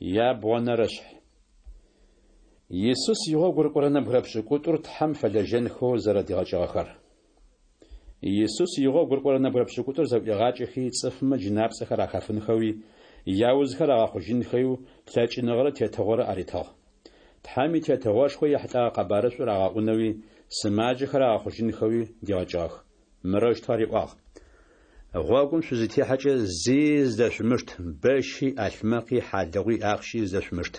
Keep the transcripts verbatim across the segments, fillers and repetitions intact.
Ябгъонэрэшъхь. Исус игъогу рыкӏорэ нэбгырэ пшӏыкӏутӏур Тхьэм фэлэжьэнхэу зэрэдигъэкӏыгъэхэр. Исус игъогу рыкӏорэ нэбгырэ пшӏыкӏутӏур зэӏуигъакӏэхи, цӏыфмэ джынапцӏэхэр ахафынхэуи, яузхэр агъэхъужьынхэуи лъэкӏыныгъэрэ тетыгъорэ аритыгъ. Тхьэм и Тетыгъошхо ехьылӏэгъэ къэбарышӏур агъэӏунэуи, сымаджэхэр агъэхъужьынхэуи дигъэкӏыгъэх. Мырэущтэу ариӏуагъ: Гъогум шъузытехьэкӏэ зи зыдэшъумышт, бэщи, ӏалъмэкъи, хьалыгъуи, ахъщи зыдэшъумышт.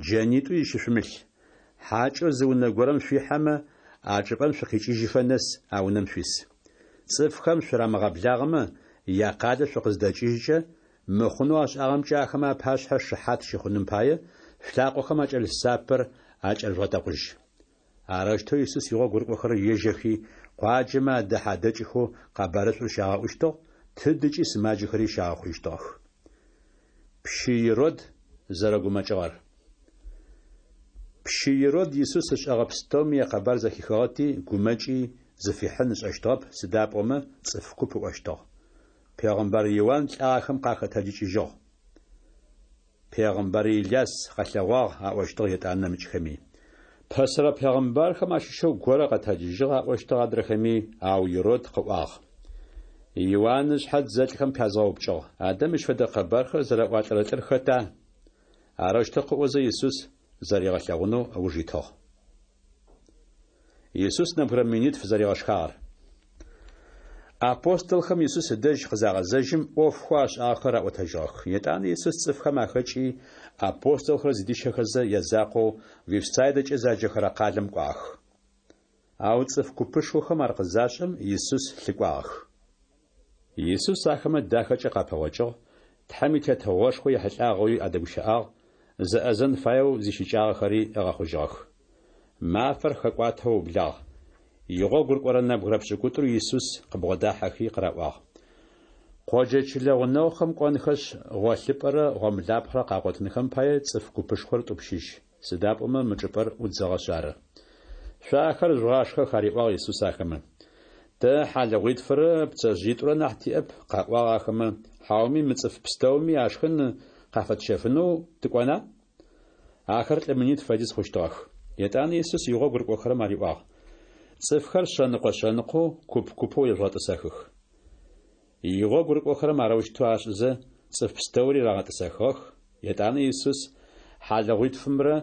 Джэнитӏуи зыщышъумылъ. Хьакӏэу зы унэ горэм шъуихьэмэ, а чӏыпӏэм шъукъикӏыжьыфэ нэс а унэм шъуис. Цӏыфхэм шъурамыгъэблагъэмэ, якъалэ шъукъыздэкӏыжькӏэ, мыхъунэу ашӏагъэмкӏэ ахэмэ апашъхьэ шыхьат щыхъуным пае, шъулъакъохэм акӏэлъ сапэр акӏэрыжъугъэтэкъужь. Арэущтэу Исус игъогу рыкӏохэрэр ежьэхи, къуаджэмэ адэхьэ-адэкӏхэу къэбарышӏур щагъэӏущтыгъ, тыдыкӏи сымаджэхэри щагъэхъужьыщтыгъэх. Пщы Ирод зэрэгумэкӏыгъэр. Пщы Ирод Исус ышӏэгъэ пстэуми якъэбар зэхихыгъэти, гумэкӏи, зыфихьын ышӏэщтыгъэп, сыда пӏомэ цӏыф куп ыӏощтыгъ: Пегъымбар Иуан лӏагъэхэм къахэтэджыкӏыжьыгъ. Пегъымбар Иляс къэлъэгъуагъ, аӏощтыгъ етӏанэ нэмыкӏхэми. Пэсэрэ пегъымбархэм ащыщэу горэ къэтэджыжьыгъ, аӏощтыгъ адрэхэми, ау Ирод къыӏуагъ: Иуан ышъхьэ дзэлӏхэм пязгъэупкӏыгъ. Адэ мыщ фэдэ къэбархэр зэраӏуалӏэрэ лӏыр хэта? Арэущтэу къыӏозэ Исус зэригъэлъэгъунэу ыуж итыгъ. Исус нэбгырэ минитф зэригъэшхагъэр. Апостолхэм Исус ыдэжь къызагъэзэжьым, ӏофхэу ашӏагъэхэр аӏотэжьыгъэх. Етӏанэ Исус цӏыфхэм ахэкӏи, апостолхэр зыдищэхэзэ, язакъоу Вифсайдэкӏэ заджэхэрэ къалэм кӏуагъэх. Ау цӏыф купышхохэм ар къызашӏэм, Исус лъыкӏуагъэх. Исус ахэмэ дахэкӏэ къапэгъокӏыгъ, Тхьэм и Тетыгъошхо ехьылӏагъэуи адэгущыӏагъ, зэӏэзэн фаеу зищыкӏагъэхэри ыгъэхъужьыгъэх. Мафэр хэкӏуатэу ыублагъ. Игъогу рыкӏорэ нэбгырэ пшӏыкӏутӏур Исус къыбгъодахьэхи къыраӏуагъ: Къоджэ чылэ гъунэгъухэм кӏонхэшъ, гъолъыпӏэрэ гъомлапхъэрэ къагъотынхэм пае цӏыф купышхор тӏупщыжь, сыда пӏомэ мы чӏыпӏэр ӏудзыгъэшъ ары. Шъо ахэр жъугъашхэх, ариӏуагъ Исус ахэмэ. Тэ хьалыгъуитфырэ пцэжъыитӏурэ нахь тиӏэп, къаӏуагъ ахэмэ, хьауми мы цӏыф пстэуми ашхын къафэтщэфынэу тыкӏона? Ахэр лӏы минитф фэдиз хъущтыгъэх. Етӏанэ Исус игъогу рыкӏохэрэм ариӏуагъ: Цӏыфхэр шъэныкъо-шъэныкъоу, куп-купэу ежъугъэтӏысэхых. Игъогу рыкӏохэрэм арэущтэу ашӏызэ, цӏыф пстэури рагъэтӏысэхыгъэх. Етӏанэ Исус хьалыгъуитфымрэ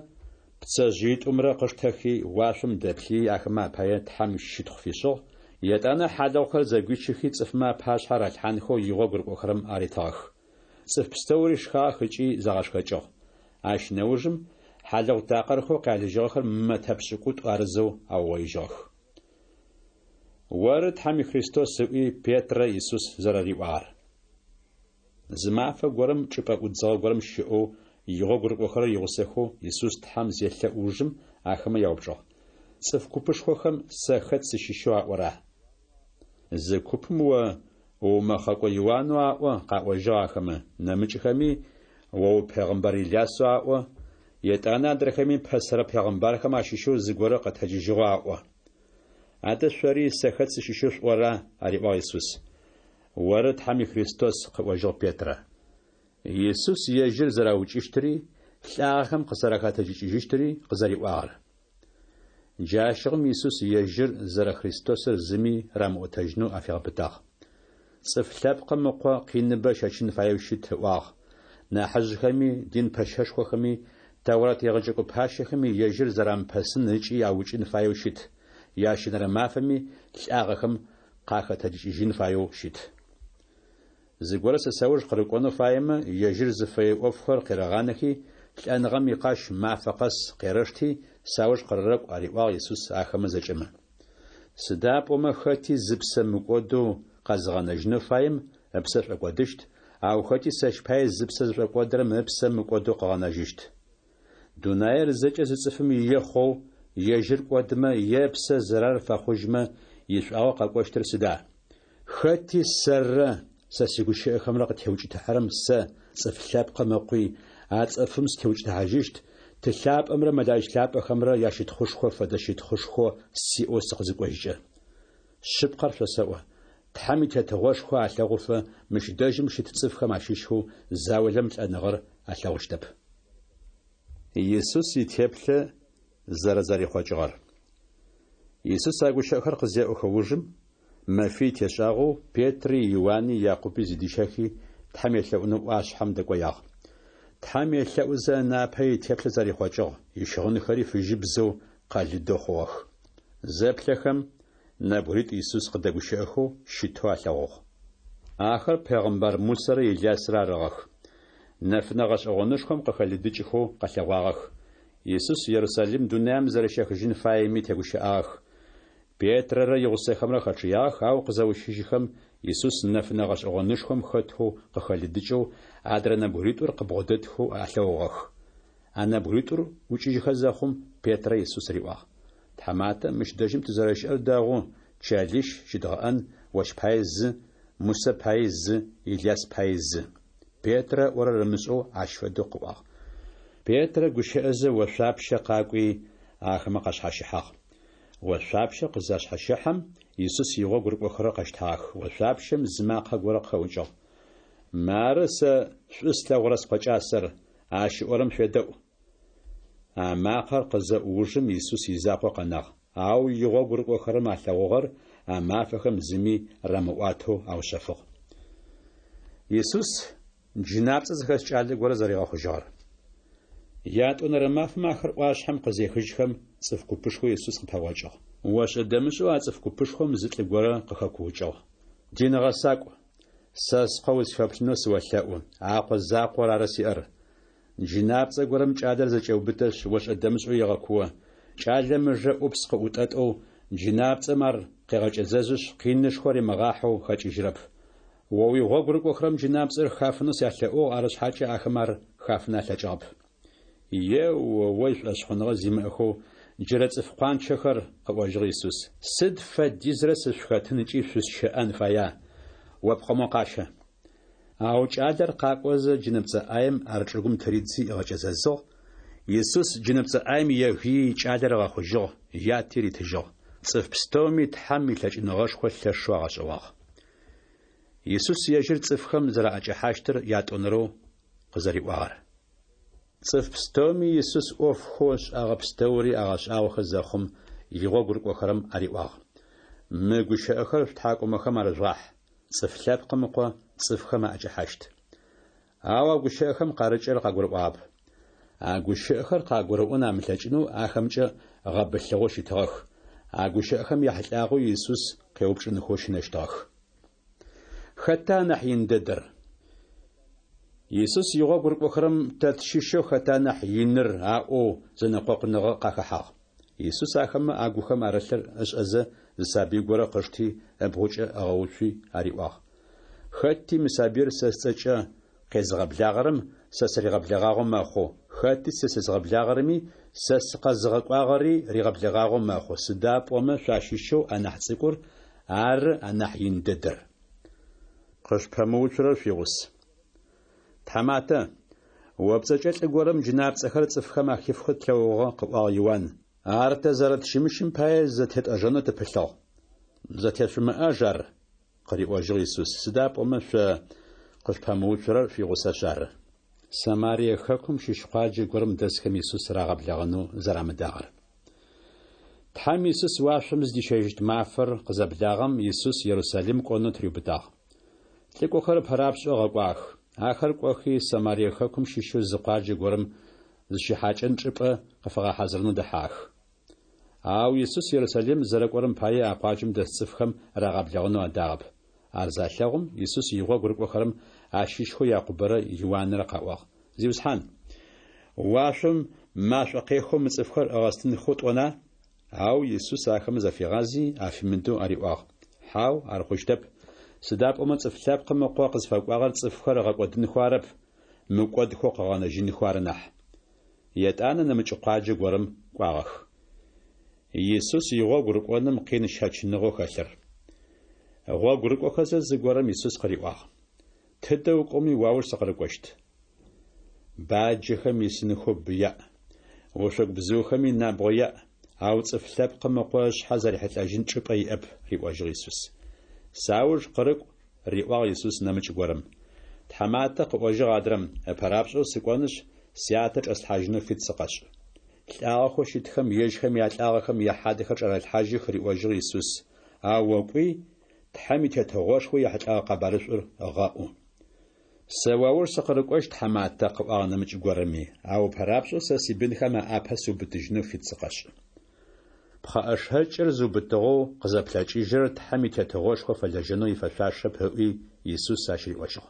пцэжъыитӏумрэ къыштэхи, уашъом дэплъыий ахэмэ апае Тхьэм щытхъу фишӏыгъ, етӏанэ хьалыгъухэр зэгуичыхи цӏыфмэ апашъхьэ ралъхьанхэу игъогу рыкӏохэрэм аритыгъэх. Цӏыф пстэури шхагъэх ыкӏи загъэшхэкӏыгъ. Ащ нэужым хьалыгъу такъырхэу къялыжьыгъэхэр мэтэ пшӏыкӏутӏу арызэу аугъоижьыгъэх. Оры Тхьэм и Христос, ыӏуи Петрэ Исус зэрэриӏуагъэр. Зы мафэ горэм чӏыпӏэ ӏудзыгъэ горэм щыӏэу игъогу рыкӏохэрэр игъусэхэу Исус Тхьэм зелъэӏу ужым ахэмэ яупчӏыгъ: Цӏыф купышхохэм сэ хэт сыщыщэу аӏора? Зы купым о уумэхъэкӏо Иуанэу аӏо, къаӏожьыгъ ахэмэ, нэмыкӏхэми о упегъымбар Илясэу аӏо, етӏанэ адрэхэми пэсэрэ пегъымбархэм ащыщэу зыгорэ къэтэджыжьыгъэу аӏо. Адэ шъори сэ хэт сыщыщэу шъуӏора? Ариӏуагъ Исус. Оры Тхьэм и Христос, къыӏожьыгъ Петрэ. Исус ежьыр зэраукӏыщтыри, лӏагъэхэм къызэрахэтэджыкӏыжьыщтыри къызэриӏуагъэр. Джащыгъум Исус ежьыр зэрэ Христосыр зыми рамыӏотэжьынэу афигъэпытагъ. Цӏыф лъэпкъым ыкъо къиныбэ щэчын фаеу щыт ыӏуагъ. Нахьыжъхэми, дин пэщэшхохэми, Тэурат егъэджэкӏо пащэхэми ежьыр зэрамыпэсын ыкӏи аукӏын фаеу щыт. Ящэнэрэ мафэми лӏагъэхэм къахэтэджыкӏыжьын фаеу щыт. Зыгорэ сэ сэуж къырыкӏонэу фаемэ, ежьыр зыфэе ӏофхэр къерэгъанэхи, лӏэныгъэм икъащ мафэ къэс къерэшти, сауж къырэкӏу, ариӏуагъ Исус ахэмэ зэкӏэмэ. Сыда пӏомэ хэти зыпсэ мыкӏодэу къэзыгъэнэжьынэу фаем ыпсэ шӏокӏодыщт, ау хэти сэщ пае зыпсэ зышӏокӏодырэм ыпсэ мыкӏодэу къыгъэнэжьыщт. Дунаир зэкӏэ зы цӏыфым ие хъоу, ежьыр кӏодымэ е ыпсэ зэрар фэхъужьмэ, ишӏуагъэ къэкӏощтыр сыда? Хэти сэррэ сэ сигущыӏэхэмрэ къытеукӏытыхьэрэм сэ, цӏыф лъэпкъым ыкъуи, а цӏыфым сытеукӏытыхьажьыщт, ты лъапӏэмрэ мэлаӏич лъапӏэхэмрэ ящытхъушхо фэдэ щытхъушхо сиӏэу сыкъызыкӏожькӏэ. Шъыпкъэр шъосэӏо, Тхьэм и Тетыгъошхо алъэгъуфэ мыщ дэжьым щыт цӏыфхэм ащыщхэу заулэм лӏэныгъэр алъэгъущтэп. Исус итеплъэ зэрэзэрихъокӏыгъэр. Исус а гущыӏэхэр къызеӏохэ ужым, мэфий тешӏагъэу Петри, Иуани, Якъуби зыдищэхи, Тхьэм елъэӏунэу ӏуашъхьэм дэкӏоягъ. Тхьэм елъэӏузэ ынапэ итеплъэ зэрихъокӏыгъ, ищыгъынхэри фыжьыбзэу къэлыдэу хъугъэх. Зэплъэхэм, нэбгыритӏу Исус къыдэгущыӏэхэу щытэу алъэгъугъ. Ахэр пегъымбар Мусэрэ Илясрэ арыгъэх. Нэфынэ гъэшӏэгъонышхом къыхэлыдыкӏхэу къэлъэгъуагъэх. Исус Ерусалим дунаим зэрэщехыжьын фаеми тегущыӏагъэх. Петрэрэ игъусэхэмрэ хэчъыягъэх, ау къызэущыжьыхэм, Исус нэфынэ гъэшӏэгъонышхом хэтэу къыхэлыдыкӏэу, адрэ нэбгыритӏур къыбгъодэтхэу алъэгъугъэх. А нэбгыритӏур ӏукӏыжьхэ зэхъум, Петрэ Исус риӏуагъ: Тхьаматэ, мыщ дэжьым тызэрэщыӏэр дэгъу, чэлищ щыдгъэӏэн, ощ пае зы, Мусэ пае зы, Иляс пае зы. Петрэ ыӏорэр ымышӏэу ащ фэдэу къыӏуагъ. Петрэ гущыӏэзэ ошъуапщэ къакӏуи, ахэмэ къашъхьащыхьагъ. Ошъуапщэр къызашъхьащэхьэм, Исус игъогу рыкӏохэрэр къэщтагъэх. Ошъуапщэм зы макъэ горэ къыхэӏукӏыгъ: Мары сэ шӏу слъэгъурэ Скъо кӏасэр, ащ ыӏорэм шъуедэӏу. А макъэр къызэӏу ужым Исус изакъоу къэнагъ, ау игъогу рыкӏохэрэм алъэгъугъэр а мафэхэм зыми рамыӏуатэу аушъэфыгъ. Исус джынапцӏэ зыхэс кӏалэ горэ зэригъэхъужьыгъэр. Ятӏонэрэ мафэм ахэр ӏуашъхьэм къызехыжьхэм, цӏыф купышхо Исус къыпэгъокӏыгъ. Ошӏэ-дэмышӏэу а цӏыф купышхом зы лӏы горэ къыхэкуукӏыгъ: Дин гъэсакӏу, сэ скъо усфеплъынэу сыолъэӏу, а къо закъор ары сиӏэр. Джынапцӏэ горэм кӏалэр зэкӏеубытэшъ, ошӏэ-дэмышӏэу егъэкуо. Кӏалэм ыжэ ӏупс къыӏутӏэтӏэу, джынапцӏэм ар къегъэкӏэзэзышъ, къинышхо римыгъахьэу хэкӏыжьырэп. О уигъогу рыкӏохэрэм джынапцӏэр хафынэу сялъэӏугъ, арышъхьакӏэ ахэм ар хафын алъэкӏыгъэп. Е-о-ой, шӏошъхъуныгъэ зимыӏэхэу джырэ цӏыф къуанчэхэр, къыӏожьыгъ Исус, сыд фэдизрэ сышъухэтын ыкӏи шъусщэӏэн фая? О пкъо мо къащэ. Ау кӏалэр къакӏозэ джынэпцӏэ ӏаем ар чӏыгум тыридзи ыгъэкӏэзэзыгъ. Исус джынэпцӏэ ӏаем егыий кӏалэр ыгъэхъужьыгъ, яти ритыжьыгъ. Цӏыф пстэуми Тхьэм илъэкӏыныгъэшхо лъэшэу агъэшӏэгъуагъ. Исус ежьыр цӏыфхэм зэраӏэкӏэхьащтыр ятӏонэрэу къызэриӏуагъэр. Цӏыф пстэуми Исус ӏофхэу ышӏагъэ пстэури агъэшӏагъохэ зэхъум, игъогу рыкӏохэрэм ариӏуагъ: Мы гущыӏэхэр шъутхьакӏумэхэм арыжъугъахь: Цӏыф Лъэпкъым Ыкъо цӏыфхэм аӏэкӏэхьащт. Ау а гущыӏэхэм къарыкӏырэр къагурыӏуагъэп. А гущыӏэхэр къагурыӏон амылъэкӏынэу ахэмкӏэ гъэбылъыгъэу щытыгъэх. А гущыӏэхэм яхьылӏагъэу Исус къеупчӏынхэу щынэщтыгъэх. Хэта анахь ин дэдэр? Исус игъогу рыкӏохэрэм тэ тщыщэу хэта нахь иныр аӏоу зэнэкъокъуныгъэ къахэхьагъ. Исус ахэмэ агухэм арылъыр ышӏэзэ, зы сабый горэ къышти, ыбгъукӏэ ыгъэуцуи ариӏуагъ: Хэти мы сабыир сэ сцӏэкӏэ къезыгъэблагъэрэм сэ сыригъэблэгъагъэу мэхъу, хэти сэ сезыгъэблагъэрэми сэ сыкъэзыгъэкӏуагъэри ригъэблэгъагъэу мэхъу, сыда пӏомэ шъуащыщэу анахь цӏыкӏур ары анахь ин дэдэр. Къышъупэмыуцурэр шъуигъус. Тхьаматэ, о пцӏэкӏэ лӏы горэм джынапцӏэхэр цӏыфхэм ахифхэу тлъэгъугъэ, къыӏуагъ Иуан. Ар тэ зэрэтщымыщым пае зэтетӏэжэнэу тыпылъыгъ. Зэтешъумыӏаж ар, къыриӏожьыгъ Исус, сыда пӏомэ шъо къышъупэмыуцурэр шъуигъусэшъ ары. Самарие хэкум щыщ къуаджэ горэм дэсхэм Исус рагъэблэгъэнэу зэрамыдагъэр. Тхьэм Исус уашъом зыдищэжьыщт мафэр къызэблагъэм, Исус Ерусалим кӏонэу тыриубытагъ. Лӏыкӏохэр ыпэрапшӏэу ыгъэкӏуагъэх. Ахэр кӏохи, Самарие хэкум щыщэу зы къуаджэ горэм зыщихьакӏэн чӏыпӏэ къыфагъэхьазырынэу дэхьагъэх. Ау Исус Ерусалим зэрэкӏорэм пае а къуаджэм дэс цӏыфхэм рагъэблэгъэнэу адагъэп. Ар залъэгъум, Исус игъогу рыкӏохэрэм ащыщхэу Якъубэрэ Иуанрэ къаӏуагъ: Зиусхьан, уашъом машӏо къехэу мы цӏыфхэр ыгъэстынхэу тӏона? Ау Исус ахэмэ зафигъази, афимыдэу ариӏуагъ: Хьау, ар хъущтэп. Сыда пӏомэ Цӏыф Лъэпкъым Ыкъо къызфэкӏуагъэр цӏыфхэр ыгъэкӏодынхэу арэп, мыкӏодхэу къыгъэнэжьынхэу ары нахь. Етӏанэ нэмыкӏ къуаджэ горэм кӏуагъэх. Исус игъогу рыкӏоным къин щэчыныгъэу хэлъыр. Гъогу рыкӏохэзэ зыгорэм Исус къыриӏуагъ: Тыдэ укӏоми уауж сыкъырыкӏощт. Баджэхэм исынхэу бы яӏ, ошъогу бзыухэми набгъо яӏ, ау Цӏыф Лъэпкъым Ыкъо ышъхьэ зэрихьылӏэжьын чӏыпӏэ иӏэп, риӏожьыгъ Исус. Сауж къырыкӏу, риӏуагъ Исус нэмыкӏ горэм. Тхьаматэ, къыӏожьыгъ адрэм, ыпэрапшӏэу сыкӏонышъ, сятэ чӏэслъхьажьынэу фит сыкъэшӏ. Лӏагъэхэу щытхэм ежьхэм ялӏагъэхэм яхьадэхэр чӏарэлъхьажьых, риӏожьыгъ Исус, ау о кӏуи, Тхьэм и Тетыгъошхо ехьылӏэгъэ къэбарышӏур гъэӏу. Сэ уауж сыкъырыкӏощт, тхьаматэ, къыӏуагъ нэмыкӏ горэми, ау ыпэрапшӏэу сэ сибынхэм аӏапэ сыубытыжьынэу фит сыкъэшӏ. Пхъэӏэшэкӏыр зыубытыгъэу къызэплъэкӏыжьырэр Тхьэм и Тетыгъошхо фэлэжьэнэу ифэшъуашэп, ыӏуи, Исус ащ риӏожьыгъ.